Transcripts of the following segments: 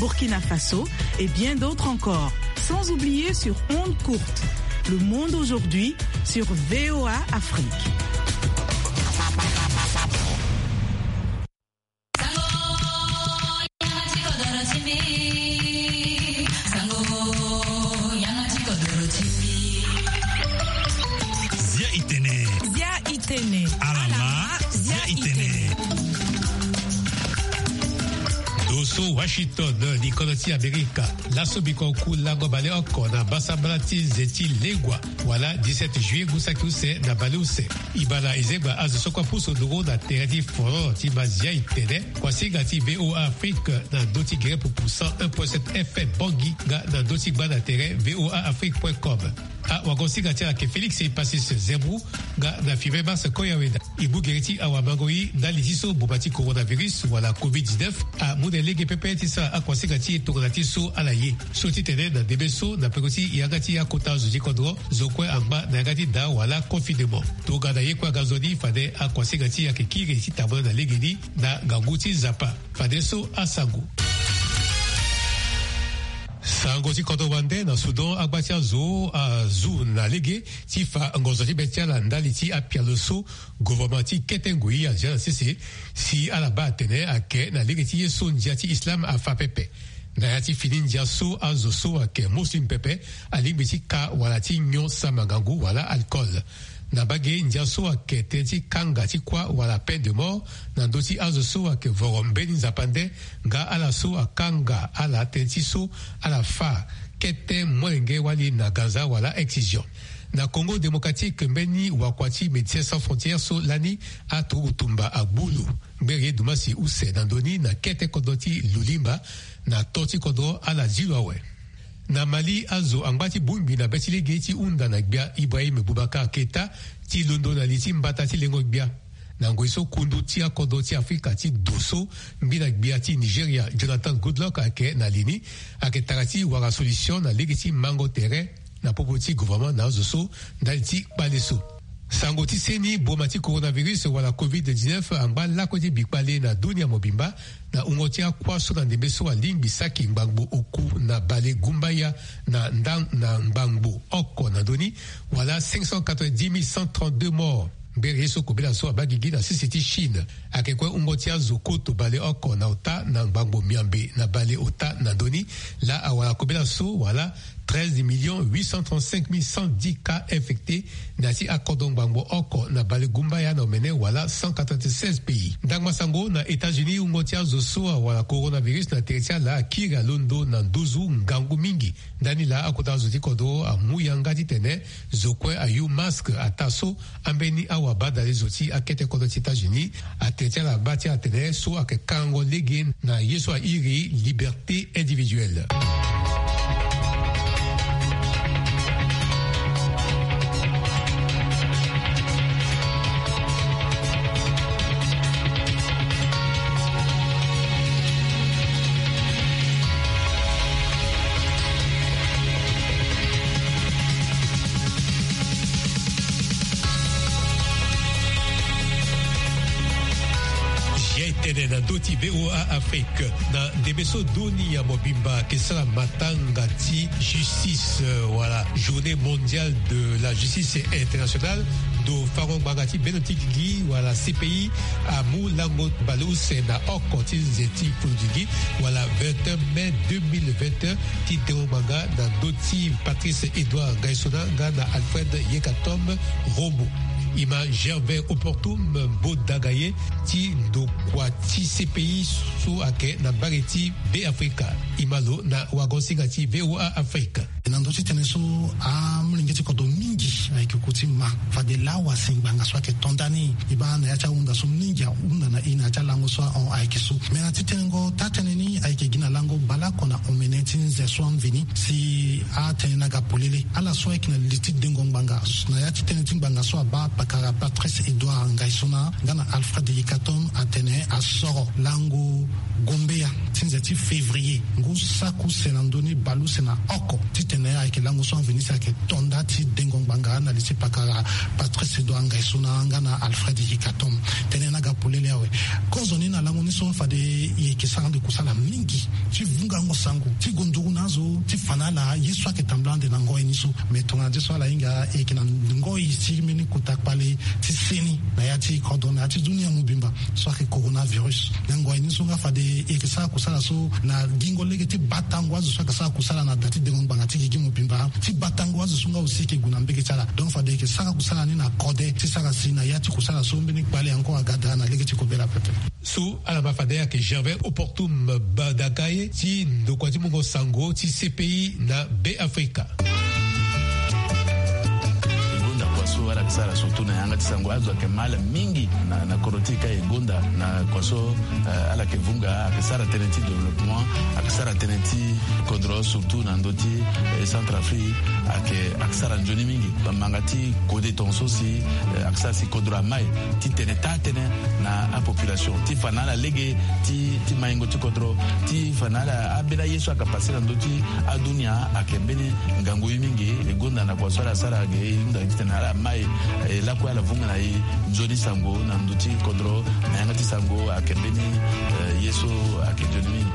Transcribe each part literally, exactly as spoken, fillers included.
Burkina Faso et bien d'autres encore. Sans oublier sur ondes courtes. Le monde aujourd'hui sur V O A Afrique. Zia itene. Zia itene. Alama. Zia itene. Doso Washington, ni kodro ti Amerika. Laso biko ku lango baleoko na basambala ti nze ti legua, wala dix-sept juillet ngu saki use na baleuse. E baa na e zegba azo so kue apusu nduru na tere ti foro ti ma Zia itene, kuasinga ti V O A Afrique na ndö ti gere pupu cent un point sept F M Bangui nga na ndö ti gba na tere V O A Afrique point com. Awagosinga ti ala ayeke Félix Passis Zerbrou nga na Fivet Mars Koyaweda. E mu gere ti awamango-i ndali ti so mboma ti coronavirus wala covid dix-neuf amu na e lege pepe ti sara akuasinga ti e tongana ti so ala ye. So ti tene na ndembe so na peko ti yanga ti akota zo ti kodro, zo kue angba na yanga ti daa wala confinement. Tongana ye kue aga nzoni fade akuasinga ti e ayeke kiri ti tambula na legeni na ngangu ti Nzapa. Fadeso asango. Sango ti kodro wande na Soudan, agba ti azo azu na lege ti fa ngonzo ti be ti ala ndali ti apialo so gouvernement ti kete ngoi azia na sese, si ala baa atene ayeke na lege ti ye so ndia ti Islam afa pepe. Na ya ti fini ndia so azo so ayeke muslim pepe alingbi ti ka wala ti nyon sama ngangu wala alcool. Na mbage ndia so ayeke tënë ti kanga ti kuâ wala peine de mort na ndö ti azo so ayeke voro mbeni nzapa nde nga ala so akanga ala tënë ti so ala fâ kete molenge wali na ganza wala excision. Na Congo Démocratique, mbeni wakua ti Médecins Sans Frontières so lani aturuku tumba agbu lo, ngbere ye dumasi use na ndö ni na kete kodro ti Lulimba na to ti kodro ala zi lo awe. Na Mali, azo angba ti bongbi na be ti lege ti hunda na gbia Ibrahim Boubacar Keita ti londo na li ti mbata ti lengo gbia. Na ngoi so kundu ti akodro ti Afrika ti do so mbi na gbia ti Nigeria Jonathan Goodluck ayeke na li ni, ayeke tara ti wara solution na lege ti mango tere na popo ti gouvernement na azo so ndali ti kpale so. Sango ti seni, boma ti coronavirus wala covid dix-neuf angba lakue ti bikpale na dunia mobimba, na wungo ti akuâ so na ndembe so alingbi saki ngbangbo oku na bale gumbaya na nda na ngbangbo oko na ndö ni, wala cinq cent quatre-vingt-dix mille cent trente-deux morts. Mbere ye so kobela so abaa gigi na sese ti Chine, ayeke kue wungo ti azo koto bale oko na ota na ngbangbo miambe na bale ota na ndö ni, laa awara kobela so wala treize millions huit cent trente-cinq mille cent dix cas infectés na ya ti akodro ngbangbo oko na bale gumbaya na omene wala cent quatre-vingt-seize pays. Ndangba sango na États-Unis, wungo ti azo so awara coronavirus na tere ti ala akiri alondo na nduzu ngangu mingi. Ndani laa akota zo ti kodro amu yanga titene zo kue ayu masque ataa so ambeni awabadale zo ti akete kodro ti États-Unis atene ti ala baa ti atene so ayeke kango lege na ye so airi liberté individuelle. Zia etene na ndö ti V O A Afrique. Na ndembe so dunia mobimba ayeke sara matanga ti justice, euh, wala journée mondiale de la justice internationale, ndo fango ngbanga ti bendo ti gigi wala C P I amu lango baleuse na oko ti nze ti fulu gigi wala vingt et un mai deux mille vingt et un, ti dengo ngbanga na ndö ti Patrice Edouard Ngaïsona nga na Alfred Yekatom Robo. E ma Gervais Oportum Bodagaye ti ndokua ti C P I so ayeke na mbage ti Beafrika. E ma lo na wagon-singa ti V O A Afrique. Na ndö ti tënë so, amolenge ti kodro mingi ayeke ku ti ma fade lawa si ngbanga so ayeke to ndani. E baa na ya ti ahunda so mingi ahunda na e na ya ti alango so ahon ayeke so. Me na ti tenengo taa-tënë ni ayeke gi na lango baleoko na omene ti nze so amveni si atene na ga polele ala so ayeke na li ti dengo ngbanga na ya ti tënë ti ngbanga so abaa pakara Patrice Edouard Ngaisona nga na Alfred Yekatom atene asoro lango gombeya ti nze ti février ngu saki use na ndoni baleuse na oko titene ayeke lango so amveni si ayeke tonda ti dengo ngbanga na li ti pakara Patrice Edouard Ngaisona nga na Alfred Yekatom. Tënë na ga polele awe. Kozoni na lango ni so fade e yeke sara ande kusala mingi ti vungango sango ti gonduru na azo ti fa na ala ye so ayeke tambula ande na ngoi ni so. Me tongana nde so ala hinga e yeke na ngoi ti mbeni kota kpale ti seni na ya ti kodro na ya ti dunia mobimba so ayeke coronavirus. Na ngoi ni so nga fade e yeke sara kusala so na gingo lege ti batango azo so ayeke sara kusala na da ti dengo ngbanga ti gigi mobimba ti batango azo so nga aussi e yeke gue na mbege ti ala. Donc fade e yeke sara kusala ni na kode ti sara si na ya ti kusala so mbeni kpale encore aga daa na lege ti kobela pepe. So ala ma fade ayeke Gervais Oportum Badakaye ti ndokua ti mungo sango ti C P I na Be Afrika. E gonda kua so ala yeke sara surtout na yanga ti sango azo ayeke ma ala mingi na, na kodro ti e ka e gonda na kua so, eh, ala yeke vunga ayeke sara tënë ti développement, ayeke sara tënë ti kodro surtout na ndö ti, eh, Centrafrique ayeke, ayeke sara nzoni mingi. Bamanga ti kode tongaso si, eh, ayeke sara si kodro amai titene taa tënë na apopulation ti fa na ala lege ti, ti maingo ti kodro ti fa na ala ambeni aye so ayeke pase na ndö ti adunia ayeke mbeni ngangu ye mingi. E gonda na kua so ala sara ge e hunda titene ala mai, eh, lakue ala vunga na e nzoni sango na ndö ti kodro na yanga ti sango ayeke mbeni, eh, ye so ayeke nzoni mingi.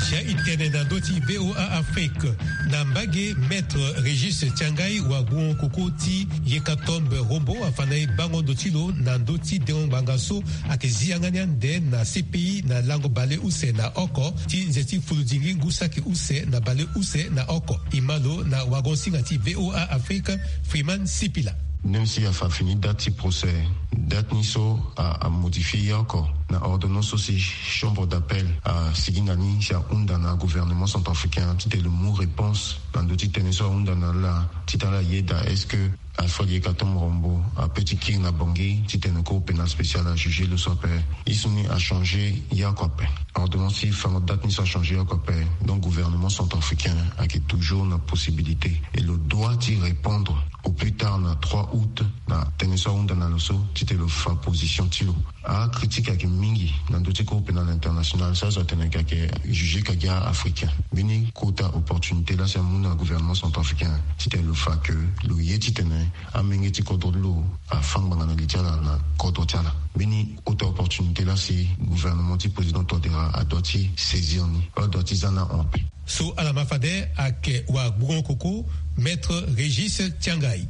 Sia e tene na ndö ti V O A Afrique na mbage, Maître Régis Tiangai wa gbungo koko ti Yekatombe Rombo afa na e bango ndo ti lo na ndö ti dengo ngbanga so ayeke zi yanga ni ande na C P I na lango baleuse na oko ti nze ti fuludingi ngu saki use na baleuse na oko. E ma lo na wagon-singa ti V O A Afrique, Freeman Sipila. Même si afa fini date ti procès, date ni so a, amodifie ye oko na ordonnance so si chambre d'appel asigi na ni si ahunda na gouvernement centrafricain titene lo mu réponse na ndö ti tënë so ahunda na ala titene ala yeda est-ce que Alfred Yekatom Rombo apeut ti kiri na Bangui titene cour pénale spéciale ajuge lo so ape. Ye so ni achangé ye oko ape. Ordonnance ti fango date ni so achangé ye oko ape. Donc gouvernement centrafricain ayeke toujours na possibilité et lo doit ti répondre au plus tard na trois août na tënë so ahunda na lo so titene lo fa position ti lo. Acritique ayeke mingi na ndö ti cour pénale internationale so azo atene ayeke jugé ka gi a-africain. Mbeni kota opportunité laa si amu na gouvernement centrafricain titene lo fa ke lo ye titene amenge ti kodro ti lo afa ngbanga na li ti ala na kodro ti ala. Mbeni kota opportunité laa si gouvernement ti président Touadéra adoit ti saisir ni, adoit ti za ni ahon ape. So ala ma fade ayeke wa gbungo koko, Maître Régis Tiangai.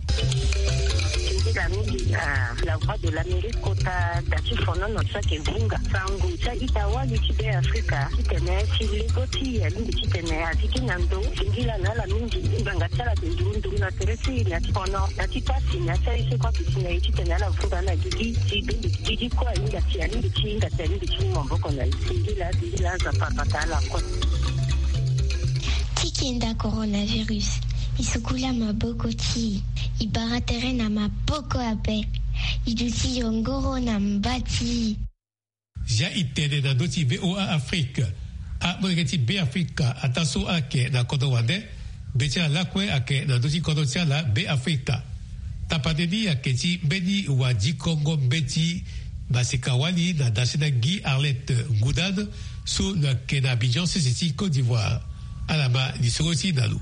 Nzila mingi na La Voix de l'Amérique kota da ti fonono so ayeke vunga sango ti a-ita wali ti Be Afrika titene si lego ti e alingbi titene azi kiri na ndo. Singila na ala mingi ngbanga ti ala ayeke nduru nduru na tere ti e na ti fono na ti pasi na ya ti aye so kue aduti na e titene ala vunga na gigi ti be gigi kue ahinga ti alingbi ti hinga ti alingbi ti mu maboko na e. Singila singila Nzapa abata ala kue. Ti kenda coronavirus, e sukula maboko ti e, e bara tere na maboko ape, e duti yongoro na mba ti e. Zia e tene na ndö ti V O A Afrique. Amolenge ti Be Afrika ataa so ayeke na kodro wande, be ti ala lakue ayeke na ndö ti kodro ti ala Be Afrika. Tapande ni ayeke ti mbeni wadikongo mbeti masika-wali na dasi na Guy Arlette Goudade so lo yeke na Abidjan sese ti Côte d'Ivoire. Ala ma lisoro ti e na lo.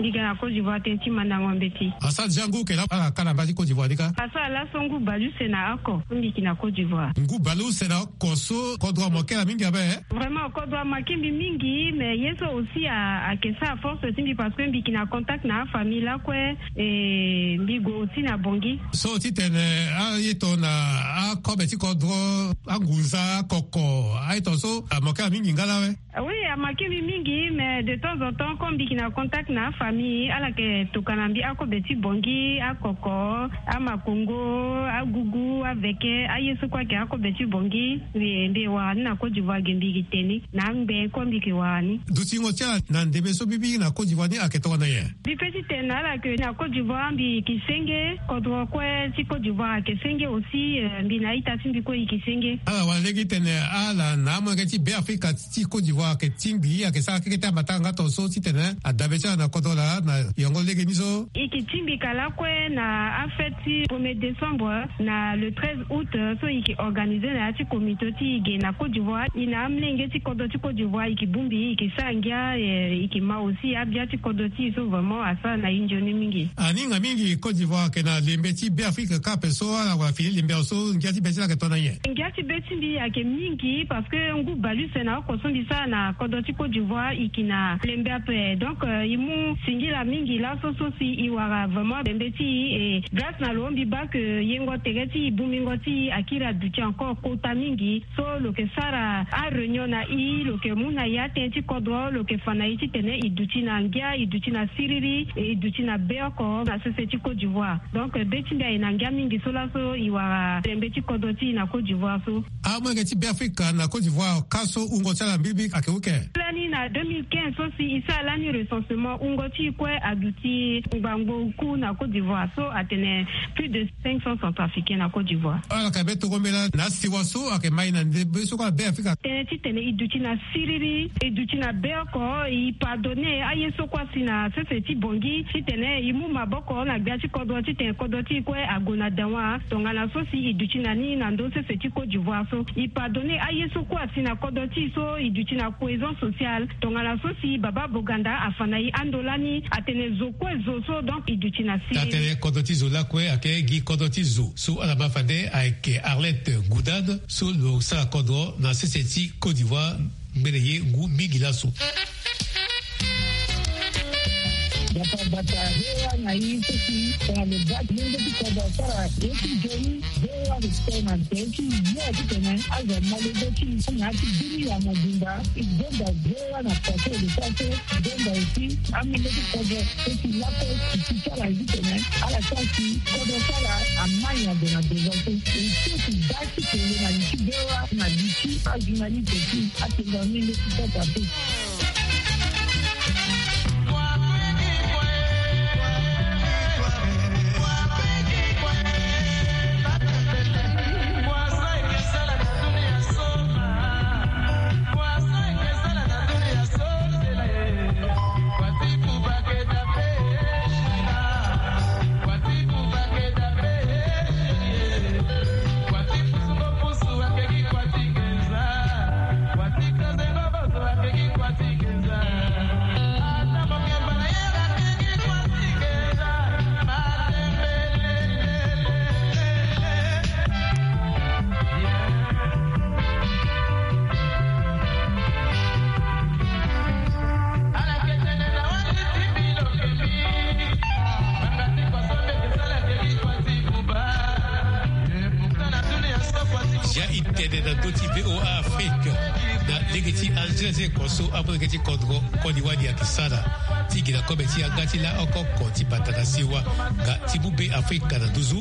Mbi ga na Côte d'Ivoire tënë ti mandango mbeti. Asara déjà ngu oko laa ala ka na mba ti Côte d'Ivoire ni kâ? Asara laso ngu baleuse na oko so mbi yeke na Côte d'Ivoire. Ngu baleuse na oko so kodro amoke ala mingi ape, eh? Vraiment kodro amoke mbi mingi, mais ye so aussi a, ayeke sara force ti mbi parce que mbi yeke na contact na afamille lakue. E mbi gue aussi na Bangui. So titene aye tongana akobe ti kodro, angunza, akoko, aye tongana so amoke ala mingi nga laa awe? Oui, Amake mbi mingi, mais de temps en temps, comme mbi yeke na contact na afamille, ala yeke tokana mbi akobe ti Bangui, akoko, amakongo, agugu, aveke, aye so kue ayeke akobe ti Bangui. Mbi, mbi wara ni na Côte d'Ivoire ge, mbi yeke tene na angbe kue mbi yeke wara ni. Dutingo ti ala na ndembe so mbi mingi na Côte d'Ivoire ni ayeke tongana nyen? Mbi pe ti tene na ala ke na Côte d'Ivoire mbi yeke senge, kodro kue ti Côte d'Ivoire ayeke senge aussi, euh, mbi na a-ita ti mbi kue e yeke senge. Ala wara lege titene ala na amolenge ti Beafrika ti Côte d'Ivoire ayeke tingbi, ayeke sara keke ti ambatanga tongaso titene adabe ti ala na kodro laa na yongo lege ni so. E yeke tingbi ka lakue na afête ti premier décembre, na le treize août, so e yeke organiser na ya ti comité ti e ge na Côte d'Ivoire. E na amolenge ti kodro ti Côte d'Ivoire e yeke bongbi, e yeke sara ngia, eh, e yeke ma aussi abia ti kodro ti e so vraiment asara na e nzoni mingi. Aninga mingi Côte d'Ivoire ayeke na lembe ti Beafrika kâ ape so ala wara fini lembe awe so ngia ti be ti ala ayeke tongana nyen? Ngia ti be ti mbi ayeke mingi parce que ngu bale use na oko so mbi sara na kodro ti Côte d'Ivoire e yeke na lembe ape. Donc, euh, e mu singila mingi laso so si e wara vraiment lembe ti e, et grâce na lo mbi baa ke yengo tere ti e, bongbingo ti e akiri aduti encore kota mingi. So lo yeke sara aréunion na e, lo yeke mu na e atënë ti kodro, lo yeke fa na e titene e duti na ngia, e duti na siriri, e duti na beoko na sese ti Côte d'Ivoire. Donc, be ti mbi aye na ngia mingi so laso e wara lembe ti kodro ti e na Côte d'Ivoire so. Amolenge ti Beafrika na Côte d'Ivoire, kâ so wungo ti ala mbilimbili ayeke wuke? Lani na deux mille quinze so si e sara lani recensement, wungo ti e kue aduti ngbangbo uku na Côte d'Ivoire, so atene plus de cinq cents Centrafricains na Côte d'Ivoire. Ala yeke be tokombela na asiwa so ayeke ma e na ndembe so kue na Beafrika. Tënë titene e duti na siriri, e duti na beoko, e pardonner aye so kue asi na sese ti Bangui, titene e mu maboko na gbia ti kodro, titene kodro ti e kue ague na dawa. Tongana so si e duti na ni na ndö sese ti Côte d'Ivoire so, e pardonner aye so kue asi na kodro ti e so e duti na cohésion sociale. Tongana so si Baba Boganda afa na e ando lani, atene zo kue zo so, donc e duti na siriri. Atene kodro ti zo lakue ayeke gi kodro ti zo. So ala ma fade ayeke Arlette Goudade, so lo sara kodro na sese ti Côte d'Ivoire ngbene ye ngu mingi laso. Bata bata, hewa na i seki, tongana lo bata, lo nge ti kodro asara, ye ti joni, hewa respect na nte ti ye titene aza malego ti na ti bini ya mobimba, i zonda hewa na pase le pase, zonda aussi, amenge ti kodro, seki lako, ti sara titene, ala sara si kodro sara, amai ague na devant so, e so ti da ti kele na li ti hewa, na li ti ajournaliste ti, atenda amenge ti sasa so. Ya e tene na ndö ti V O A Afrique na lege ti Algérie, ko so amolenge ti kodro koli wani ayeke sara ti gi na kobe ti yanga ti laoko oko ti bata na siwa nga ti mu Be Afrika na nduzu.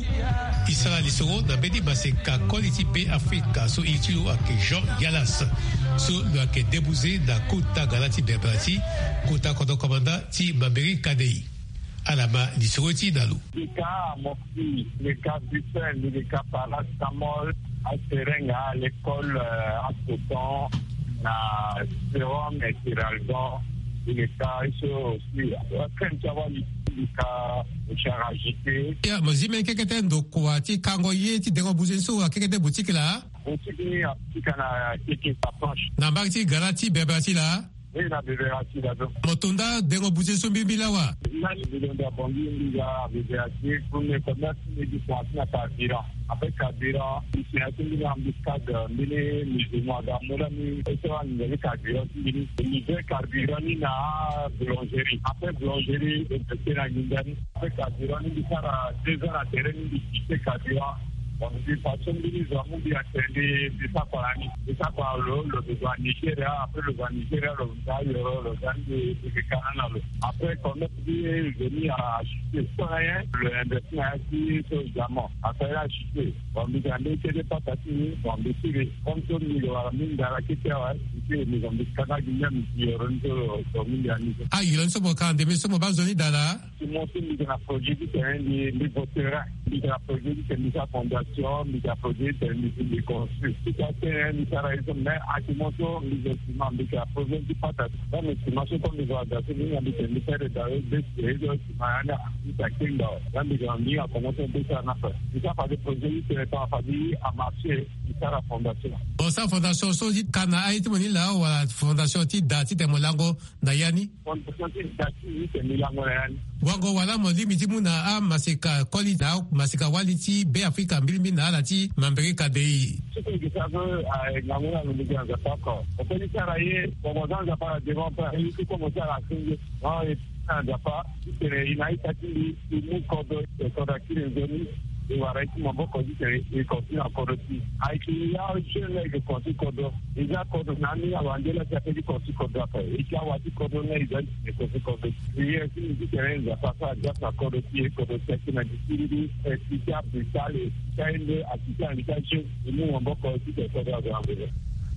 E sara lisoro na mbeni maseka koli ti Be Afrika so iri ti lo ayeke Jean Yalas, so lo yeke debuze na kota gara ti Berbera ti kota kodro komanda ti Mambéré Kadei. Ala ma lisoro ti e na lo. Mbi ka morphine, mbi ka buprofène, mbi ka paracétamol, aseringue, alecol, euh, acoton, na sérum, et Kéralgan, mbi ka ye so aussi. Crème ti awali, mbi ka Charagité. Ya, mo zi mbeni kekete ndokua ti kango ye ti dengo buze so akekete boutique laa? Boutique ni atika na keke approche. Na mbage ti gara ti Berbera ti laa? Oui, na Berbera ti laa so. Mo to nda dengo buze so mbi mbi lawa? Lani mbi londo abongi mbi ga Berbera ti premier commerce, mbi gi commencé na carburant. Après carburant, mbi si na ti mbeni embuscade, mbeni musulman aga mu lani, e sara nginza ti carburant ti mbi ni. Mbi livrer carburant ni na boulangerie. Après boulangerie, e teke na nginza ni. Après carburant ni, mbi sara deux ans na terrain ni, mbi quitter carburant. Donc, mbi fa so mbeni zo amu mbi atene mbi, mbi sara kua na ni. Mbi sara kua na lo, lo zo a Nigeria, après lo zo a Nigeria, lo zo a Yoro, lo zo a ni, mbi, mbi kana na lo. Après, contact ti zo ni a chuté. So na ye, lo investi na ya ti so diamant. Asara ye a chuté. Bon, mbi ga mbi kete pata ti ni, bon, mbi tiri. Comme so mbi ga wara mbi ndara kete awe, mbi tiri, mbi ga mbi kana gi mia mbi Yoro ni so lo zo mbi andi so. Ah, Yoro ni so mo ka ande, mbi so mo baa zo ni daa laa? Ti mo so mbi ga na projet ti tene mbi, mbi votera. Mbi ga na projet ti tene mbi sara fondation, mbi ga na projet ti tene mbi, mbi construire. Ti ka tene mbi sara ye so, mais ake mo so mbi zo sima, mbi ga na problème ti pata. Comme sima so comme mbi zo aga so, mbi hinga mbi tene mbi sara daa we be si ye so sima ya ni, mbi sara kengba we. Là mbi ga mbi hinga komo so mbi sara na ape. Mbi sara fade projet ti tene tongana fade a marché, mbi sara fondation. Bon, sara fondation so ti ka na aye ti mo ni laa, wala fondation ti da ti tene mo lango na ya ni? Fondation ti da ti ni tene mbi lango na ya ni. Wango wala mo lingbi ti mu na amaseka koli na amaseka wali ti Be Afrika mbilimbili na ala ti mambere kadei. Soki mbi sara so, ah, ngangu na lo mbi gi na Nzapa oko. Mo peut ti sara ye, bon, mo za Nzapa na devant ape, aye ti komo ti ala asenge. Non, e na Nzapa ti tene e na ita ti mbi, e mu kodro, e kodro akiri nzoni, e wara ye ti maboko ti tene e continue na kodro ti e. Ayeke ya jeune la e yeke continue kodro. E za kodro na ni awande la ti ape ti continue kodro ape. E ti awa ti kodro na e za ti tene continue kodro. Prière ti mbi ti tene Nzapa asara grâce na kodro ti e, kodro ti e akiri na di ti mbi, e ti ti ape ti ale, ti aye nde, a ti ti ande ti ajeune, e mu maboko ti tene kodro azo na ngbene.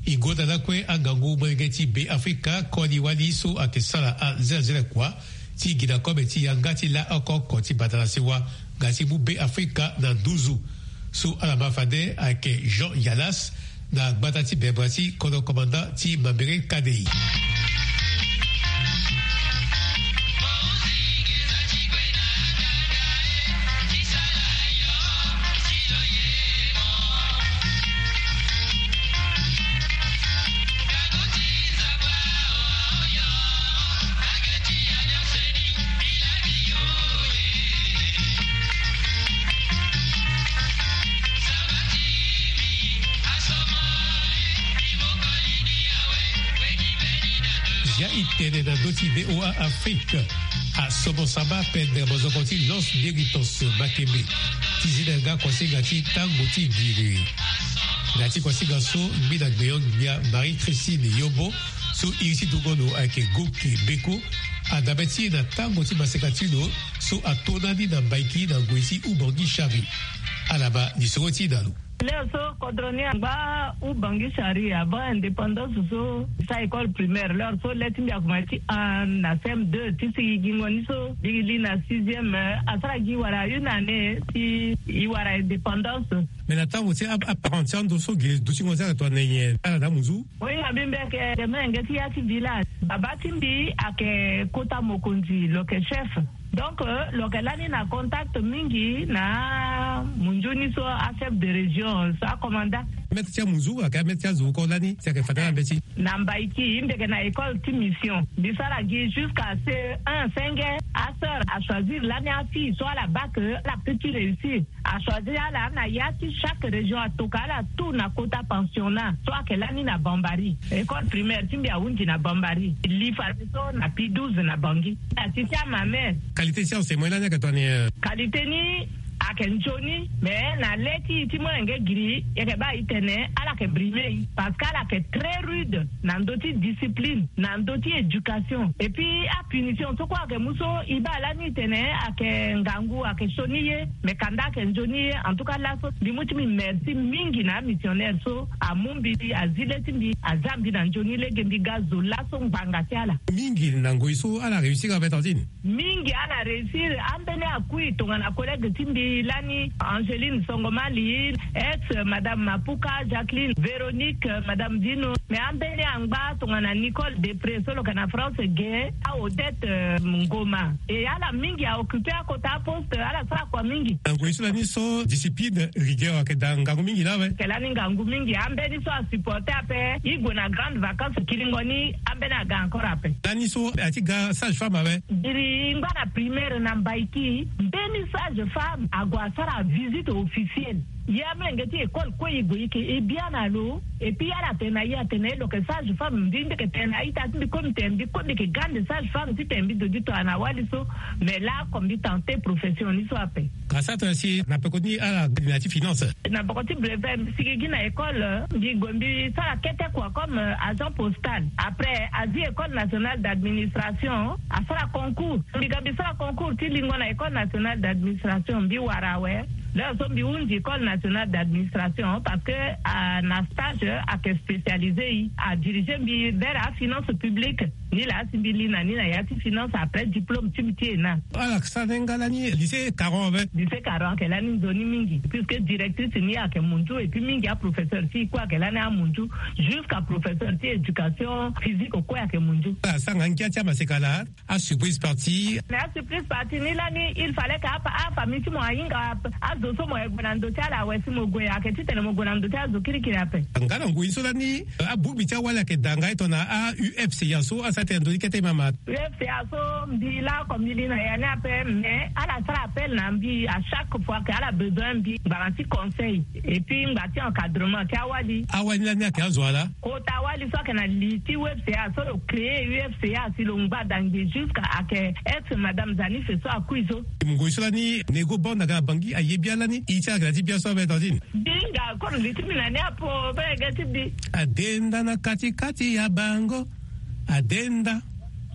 E ngota lakue angangu molenge ti Be Afrika koli wali so ayeke sara azelazela kua ti gi na kobe ti yanga ti la oko oko ti badala sewa nga ti mu Be Afrika na nduzu. So ala ma fade ayeke Jean Yalas na gbata ti bebra ti kodro commandant ti mambere kadei. Zia e tene na ndö ti V O A Afrique. Asomo samba pendere mozoko ti Los Gueritos Makembe ti zi na yanga kuasinga ti tango ti giriri. Na ya ti kuasinga so, ngbi na gbeyo ngbia Marie Christine Yombo so iri ti dungo lo ayeke Goke Beko, adabe ti e na tango ti maseka ti lo so ato na ni na Mbaiki na ngoi ti Ubangi Chari. Ala baa lisoro ti e na lo. Leo so kodro ni angba Ubangi Chari avant indépendance so, e sara école primaire. Leo so le ti mbi akomanse ti un na C M deux ti si e gingo ni so e li na sixième, eh, asara gi wala une année si e wara indépendance. Mais na tango ti a, aparent ti ando so ge dutingo ti ala tongana nyen? Ala na amunzu. Oui, abi mbi ayeke molenge ti ya ti village. Babâ ti mbi ayeke kota mokonzi, lo yeke chef. Donc, euh, lo yeke lani na contact mingi na munzu ni so, achef de région so, acommandant. Maître ti amunzu ayeke amaître ti azo oko lani si ayeke fade na mbeti. Na Mbaiki, mbi yeke na école ti mission. Mbi sara gi jusqu'à C E un, senge. Asœur achoisir lani afille so ala baa que ala peut ti réussir. Achoisir ala na ya ti chaque région, atoka ala tout na kota pensionnat so ayeke lani na Bambari. École primaire ti mbi ahunzi na Bambari. Li fadeso na P douze na Bangui. Na ti ti amame. Qualité ti enseignement lani ayeke tongana nyen? Qualité ni ayeke nzoni, mais na le ti e ti molenge giri, e yeke baa e tene ala yeke brimer e, parce que ala yeke très rude na ndö ti discipline, na ndö ti éducation. Et puis apunition so kue ayeke mu so e baa lani e tene ayeke ngangu, ayeke sioni ye, mais kanda ayeke nzoni ye. En tout cas laso mbi mu ti mbi merci mingi na amissionnaire so amu mbi, azi le ti mbi, aza mbi na nzoni lege mbi ga zo laso ngbanga ti ala. Mingi na ngoi so ala réussir ape, tantine? Mingi ala réussir. Ambeni akui tongana collègue ti mbi lani, Angeline Songomali, ex madame Mapuka, Jacqueline, Véronique, madame Dino. Mais ambeni angba tongana Nicole Depré so lo yeke na France ge, a Odette, euh, Ngoma. E ala mingi a occuper akota aposte, ala sara kua mingi. Na ngoi so lani so discipline, rigueur ayeke daa ngangu mingi laa awe. Ayeke lani ngangu mingi. Ambeni so asupporter ape, e gue na grande vacance kiringo ni, ambeni aga encore ape. Lani so a ti ga sage-femme awe. Giri e ngba na primaire na Mbaiki, mbeni sage-femme ague asara visite officielle. Ye amolenge ti école kue e gue e yeke e biani na lo. Et puis ala tene na ye atene lo yeke sage femme, mbi mbi yeke tene na a-ita ti mbi kue mbi tene mbi kue mbi yeke grande sage femme titene mbi dodi tongana wali so. Mais laa comme mbi tente profession ni so ape. Ka sara tongana si na peko ni ala gi na ya ti finance. Na peko ti brevet mbi sigi gi na école, mbi gue mbi sara kete kua comme agent postal. Après azi école nationale d'administration, asara concours. Mbi ga mbi sara concours ti lingo na école nationale d'administration, mbi wara awe. Leo so mbi hunzi école nationale d'administration parce que na stage ayeke spécialisé e, adirige mbi vers afinance publique. Ni laa si mbi li na ni na ya ti finance après diplôme ti mbi ti ena. Ala sara ni nga lani lycée Caron ape. Lycée Caron ayeke lani nzoni mingi puisque directrice ni ayeke munzu et puis mingi aprofesseur ti e kue ayeke lani amunzu, jusqu'à professeur ti éducation physique kue ayeke munzu. Ala sara nga ngia ti amaseka laa. Asurprise partie. Mais asurprise partie ni lani il fallait que afamille ti mo ahinga azo so mo ye gue na ndo ti ala awe si mo gue ayeke titene mo gue na ndo ti azo kirikiri ape. Nga na ngoi so lani abongbi ti awali ayeke daa nga e tongana a-UFCA so asara tene ndoni kete mama. UFCA so mbi laa comme mbi li na ya ni ape mais ala sara appel na mbi à chaque fois que ala besoin mbi ngbanga ti conseil et puis ngba ti encadrement ti awali. Awali lani ayeke azo ala. Kota wali so ayeke na li ti UFCA so lo créé UFCA si lo ngba dangbe jusqu'à ayeke ex madame Zanife so akui so. Ngoi so lani Nego Banda aga na Bangui aye bia lani i ti ala ayeke na ti bia so abe tantine. Bi nga koro li ti mbi na ni apo be ge ti bi. Adenda na kati kati ya bango. Adenda.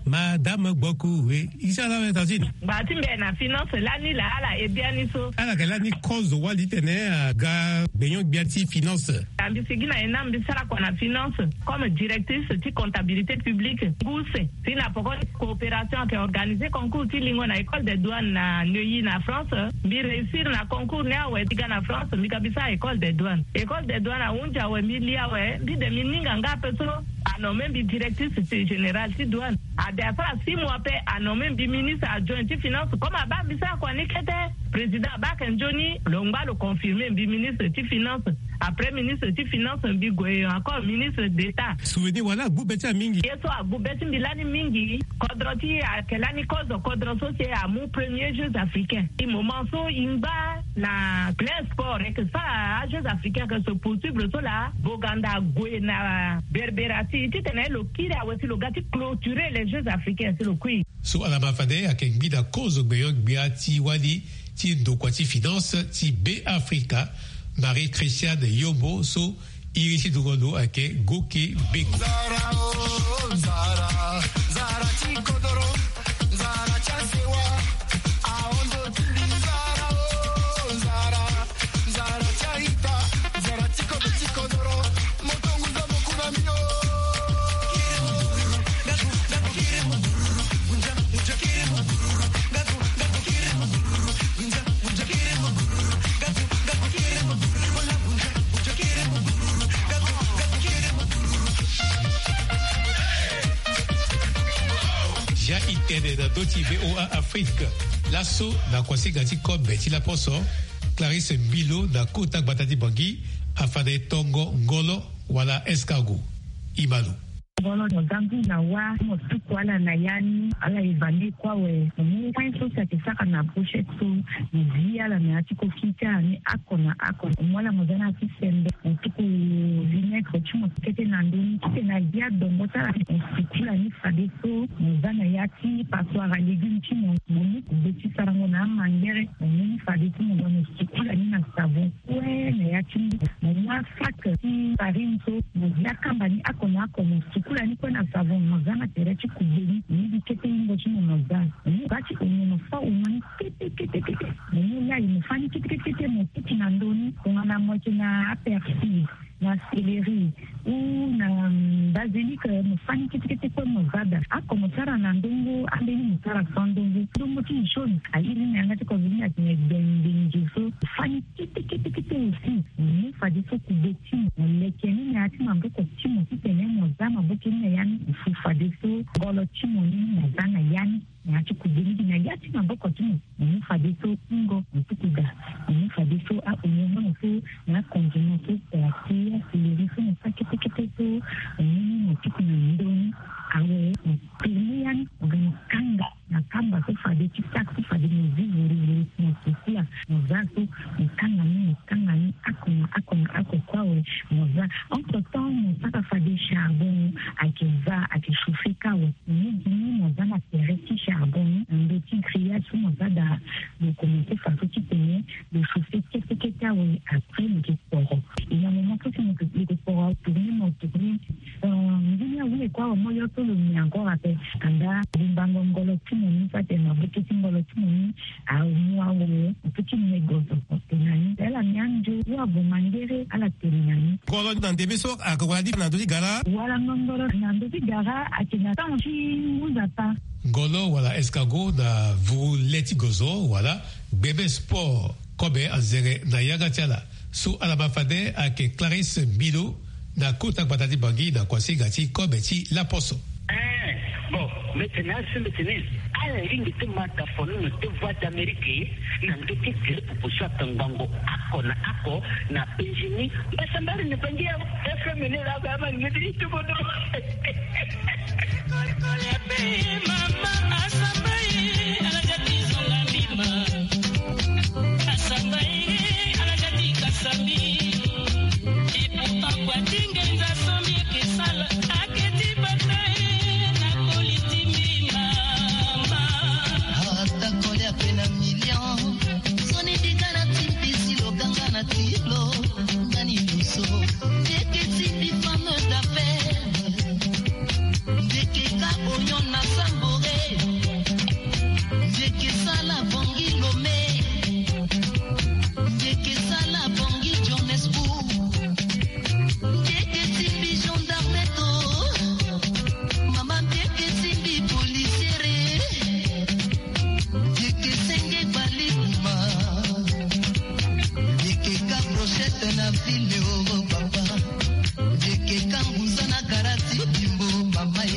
Madame Gboku we i ti ala abe tantine. Ngba ti mbi na finance lani laa ala e biani so. Ala yeke lani kozo wali titene aga gbenyo-gbia ti finance. Mbi sigi na ena mbi sara kua na finance comme directrice ti comptabilité publique ngu use. Si na poko coopération ayeke organisé concours ti lingo na école des douanes na Neuilly na France. Mbi réussir na concours ni awe mbi ga na France mbi ga mbi sara école des douanes. École des douanes ahunzi awe mbi li awe mbi de mbi ninga nga ape so. Anommé mbi directrice générale ti douane. Ade asara six mois ape anommé mbi ministre adjoint ti finance comme abaa mbi sara kua ni kete. Président abaa ayeke nzoni lo ngba lo confirmé mbi ministre ti finance. Après ministre ti finance mbi gue encore ministre d'état. Souvenir wala agbu be ti amingi. Ye so agbu be ti mbi lani mingi. Kodro ti e ayeke lani kozo kodro so si e amu premier jeux africain. E moment so e ngba na plein sport e yeke sara ajeux africain ayeke se poursuivre so laa. Boganda ague na berbera ti e titene lo kiri awe si lo ga ti clôturer les jeux africains si lo kui. So ala ma fade ayeke gbida kozo gbenyo-gbia ti wali ti ndokua ti finance ti Beafrika, Marie Christiane Yombo so iri ti dungo ndo ayeke Goke Beko. Zia i tene na ndö ti VOA Afrique. Laso na kuasinga ti kobe ti laposo, Clarisse Mbilo na kota gbata ti Bangui afande tongo ngolo wala escargot. Imano. Ngolo mo za ngu na wa mo tuku ala na ya ni ala évalué kue awe mo mu point so si ayeke sara na brochette so. Mo zi ala na ya ti koki ti ala ni oko na oko mo mu ala mo za na ya ti sembe mo tuku vinaigre ti mo kete na ndö ni titene azi adongo ti ala ni mo sukula ni fadeso mo za na ya ti passoire à légume ti mo mo mu kube ti sarango na amangere mo mu ni fadeso mo ga mo sukula ni na savon. Kue na ya ti mbi mo mu asak ti farine so mo zi akamba ni oko na oko mo sukula ni kue na savon mo za na tere ti kube ni mo mu gi kete hingo ti mo mo za. Mo mu ga ti onio mo fa onio ni kete kete kete mo mu lai mo fa ni kete kete kete mo tutu na ndö ni tongana mo yeke na apersil na céleri ou na basilic mo fa ni kete kete kue mo za daa. Oko mo sara na ndongo ambeni mo sara sans ndongo ndongo ti jaune airi ni na yanga ti covid ni atene gbengbengi so mo fa ni kete kete kete aussi mo mu fadeso kube ti mo mo leke ni na ya ti maboko ti mo titene mo za maboko ni na ya ni mo fu fadeso ngolo ti mo ni mo za na ya ni. Na ya ti kube ni gi na ya ti maboko ti mo mo mu fadeso ungo mo tuku daa mo mu fadeso aonio mo so na akondima so daa ti aseleri so mo sa kete kete so mo mu ni mo tuku na ndö ni. Awe mo tourné ya ni mo ga mo kanga na kamba so fade ti sak so fade mo zi vuruvuru mo sukula mo za so mo kanga ni mo kanga ni. charbon, ayeke va, ayeke chauffer kâ awe. Ni gi ni mo za na tere ti charbon ni, na ndö ti grillage so mo za daa, lo commencer fadeso titene lo chauffer kete kete awe, après lo yeke kporo. Et na moment so si mo yeke kporo, tourner mo tourner. Euh, nzoni awu le kue awe, mo yo so lo nyen encore ape. Anda lo mbango ngolo ti mo ni, so atene maboko ti ngolo ti mo ni, amu awe, ape ti me gozo. Tene na ni, ala ni andio, wa vo mangere, ala tene na ni. Ngolo na ndembe so, aka wara ni na ndö ti gara. Wala ngolo na ndö ti gara, ayeke na temps ti ngu nzapa. Ngolo wala escargot na vuru le ti gozo, wala gbebe sport. Kobe anzere na yanga ti ala. So ala ma fade ayeke Clarisse Milo na kota gbata ti Bangui na kuasinga ti kobe ti laposo. Eh, bon, mbi tene aso mbi tene, ala lingbi ti ma tafono na te Voix d'Amérique na ndö ti tere pupu so aka ngbongo oko na oko na Benjini. Mbasambari na Bangui awe, F M ni laa, ba ma ngeti ti bodo. Ata kolia pe na million, soni di ga na ti mbisi lo ganga na ti lo, ngani luso, ndeke ti mbi femme d'affaires. Ndeke ka oignon na Sambore. Ndeke sala Bangui Lomé. Ndeke sala Bangui Johannesburg. Ndeke ti mbi gendarme to. Mama ndeke ti mbi policiere. Ndeke senge gbali kuma. Ndeke ka brochette na ville, oh papa. Ndeke ka nguza na gara ti bimbo, mama e.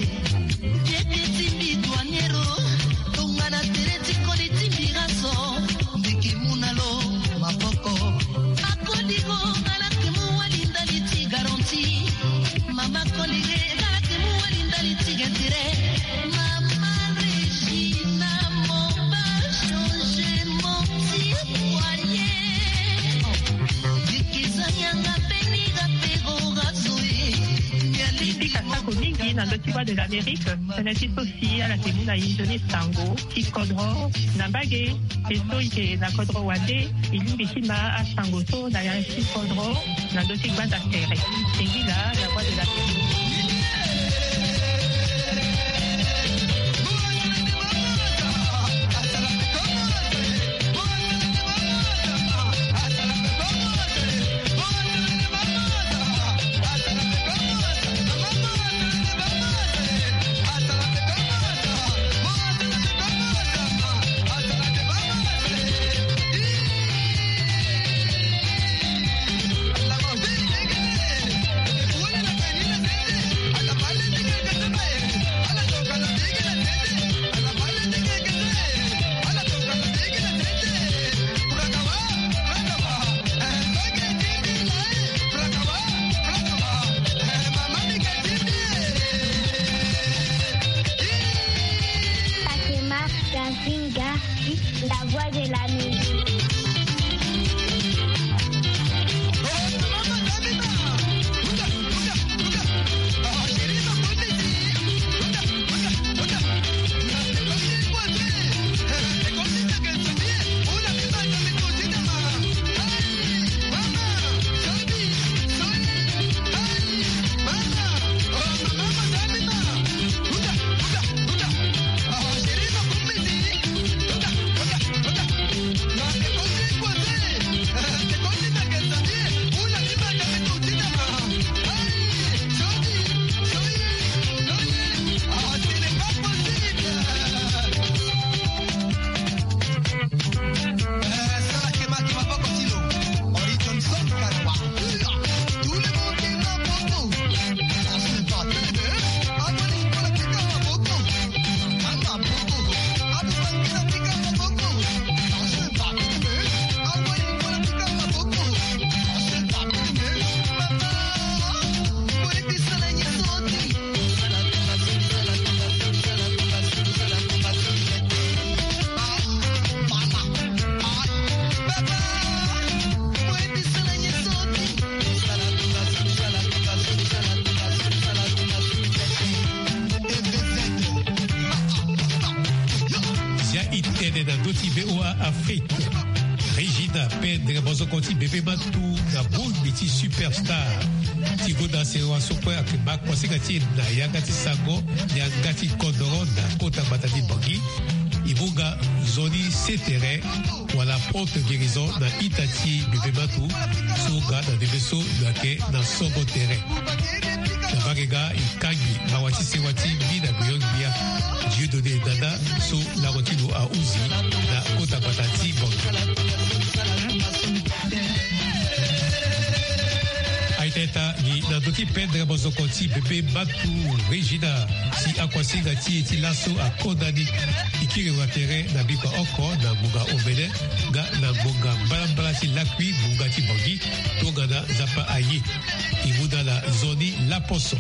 Ndeke ti mbi douanier o, tongana tere ti koli ti mbi raso. Ndeke mu na lo maboko. Akoli go, ala yeke mu wali ndali ti garantie. Mama koli ge, ala yeke mu wali ndali ti intérêt. Mama Regina, mon ba changer mon ti foyer. Ti kasako mingi na ndö ti Voix de l'Amérique, tënë ti so si ala yeke mu na e nzoni sango ti kodro na mbage, e so e yeke na kodro wande, e lingbi ti ma asango so na ya ti kodro na ndö ti gbanda tere. Singila, la Voix de l'Amérique. Fatima Kazinga, la voix de la musique. Tena doti be o a afrique. Regina pe ndere bozoko ti bebe matu na bongbi ti superstar ti goda sewa sokue ake ma kuasinga ti e na yanga ti sango, yanga ti kodoro na kota gbata ti bangi. E mu nga nzoni setere wala porte guérison na ita ti bebe matu so nga na ndembe so lo yeke na songo tere. Na mbage nga e kangi mawa ti sewa ti mbi na beyond gbia, dieudonné dada so lango ti lo ahuzi na kota gbata ti bangi. Aita eta ni na ndo ti pendre mozoko ti bebe mbatu regina, si akuasinga ti e ti laso akonda ni. E kiri wa tere na bikua oko na ngonga omene nga na ngonga mbalambala ti lakui ngonga ti bangi. Tongana nzapa aye. E mu na ala nzoni laposo.